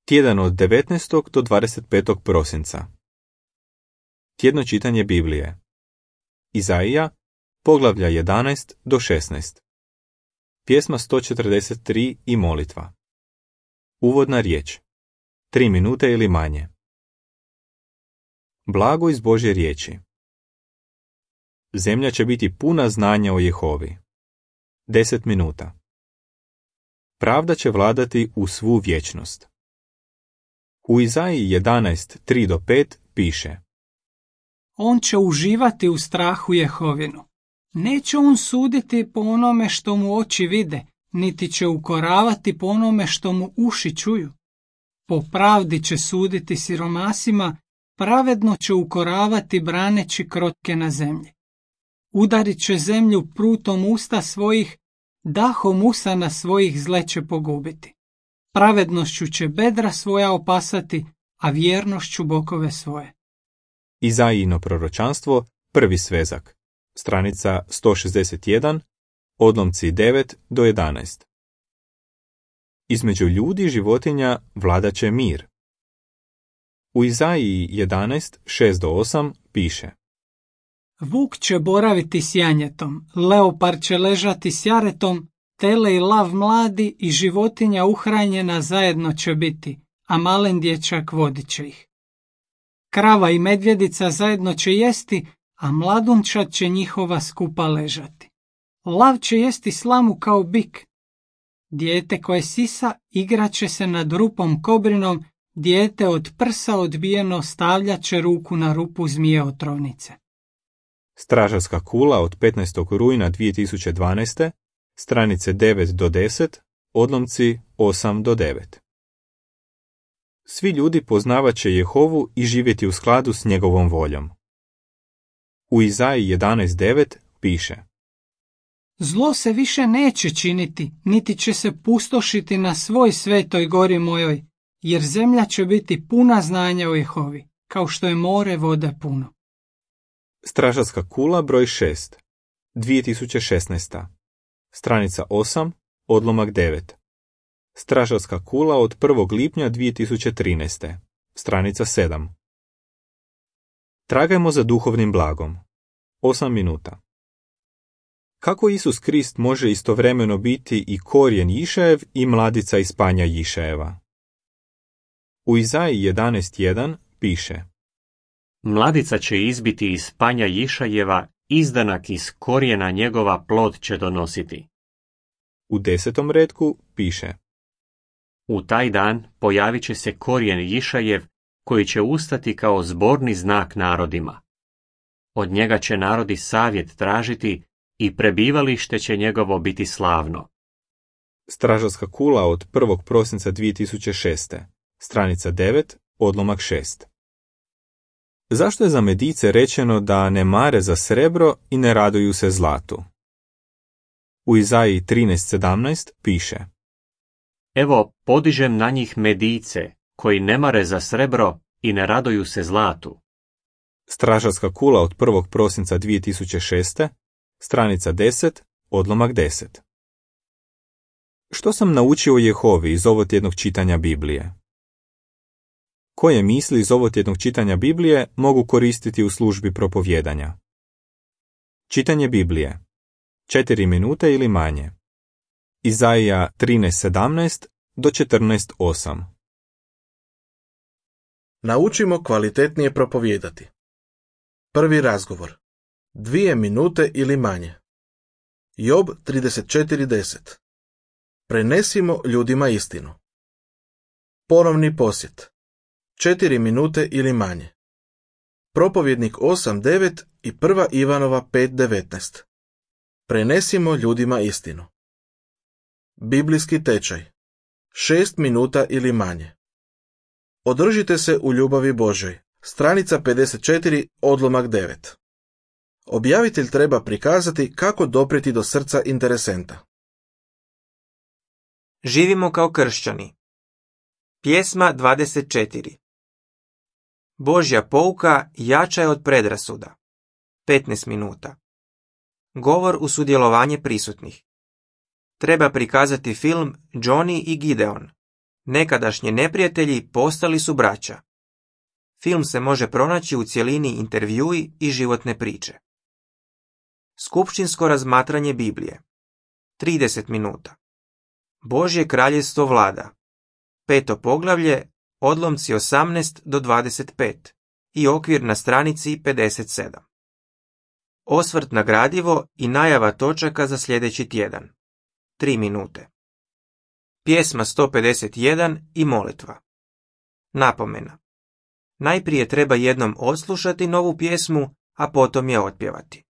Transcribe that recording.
Tjedan od 19. do 25. prosinca. Tjedno čitanje Biblije. Izaija, poglavlja 11 do 16. Pjesma 143 i molitva. Uvodna riječ. 3 minute ili manje. Blago iz Božje riječi. Zemlja će biti puna znanja o Jehovi. 10 minuta. Pravda će vladati u svu vječnost. U Izaiji 11:3 do 5 piše: On će uživati u strahu Jehovinu. Neće on suditi po onome što mu oči vide, niti će ukoravati po onome što mu uši čuju. Po pravdi će suditi siromasima, pravedno će ukoravati braneći krotke na zemlji. Udarit će zemlju prutom usta svojih, dahom usana svojih zle će pogubiti. Pravednošću će bedra svoja opasati, a vjernošću bokove svoje. Izaijino proročanstvo, prvi svezak, stranica 161, odlomci 9 do 11. Između ljudi i životinja vladat će mir. U Izaiji 11:6 do 8 piše: Vuk će boraviti s janjetom, leopard će ležati s jaretom, tele i lav mladi i životinja uhranjena zajedno će biti, a malen dječak vodit će ih. Krava i medvjedica zajedno će jesti, a mladunčad će njihova skupa ležati. Lav će jesti slamu kao bik. Dijete koje sisa igrat će se nad rupom kobrinom, dijete od prsa odbijeno stavljat će ruku na rupu zmije otrovnice. Stražarska kula od 15. rujna 2012. stranice 9 do 10, odlomci 8 do 9. Svi ljudi poznavat će Jehovu i živjeti u skladu s njegovom voljom. U Izaiji 11:9 piše: Zlo se više neće činiti, niti će se pustošiti na svoj svetoj gori mojoj, jer zemlja će biti puna znanja o Jehovi, kao što je more vode puno. Stražarska kula broj 6, 2016. Stranica 8, odlomak 9. Stražarska kula od 1. lipnja 2013. Stranica 7. Tragajmo za duhovnim blagom. 8 minuta. Kako Isus Krist može istovremeno biti i korijen Jišajev i mladica iz panja Jišajeva? U Izaiji 11:1 piše: Mladica će izbiti iz panja Jišajeva, izdanak iz korijena njegova plod će donositi. U 10. retku piše: U taj dan pojavit će se korijen Jišajev, koji će ustati kao zborni znak narodima. Od njega će narodi savjet tražiti i prebivalište će njegovo biti slavno. Stražarska kula od 1. prosinca 2006. Stranica 9, odlomak 6. Zašto je za Medice rečeno da ne mare za srebro i ne raduju se zlatu? U Izaiji 13:17 piše: Evo, podižem na njih Medice, koji ne mare za srebro i ne raduju se zlatu. Stražarska kula od 1. prosinca 2006. Stranica 10, odlomak 10. Što sam naučio o Jehovi iz ovotjednog čitanja Biblije? Koje misli iz ovotjednog čitanja Biblije mogu koristiti u službi propovjedanja? Čitanje Biblije. 4 minute ili manje. Izaija 13:17 do 14:8. Naučimo kvalitetnije propovijedati. Prvi razgovor. 2 minute ili manje. Job 34:10. Prenesimo ljudima istinu. Ponovni posjet. 4 minute ili manje. Propovjednik 8:9 i 1. Ivanova 5:19. Prenesimo ljudima istinu. Biblijski tečaj. 6 minuta ili manje. Održite se u ljubavi Božoj. Stranica 54, odlomak 9. Objavitelj treba prikazati kako doprijeti do srca interesenta. Živimo kao kršćani. Pjesma 24. Božja pouka jača je od predrasuda. 15 minuta. Govor u sudjelovanje prisutnih. Treba prikazati film Johnny i Gideon. Nekadašnji neprijatelji postali su braća. Film se može pronaći u cjelini intervjui i životne priče. Skupštinsko razmatranje Biblije. 30 minuta. Božje kraljevstvo vlada. 5. poglavlje, odlomci 18 do 25 i okvir na stranici 57. Osvrt na gradivo i najava točaka za sljedeći tjedan. 3 minute. Pjesma 151 i molitva. Napomena. Najprije treba jednom odslušati novu pjesmu, a potom je otpjevati.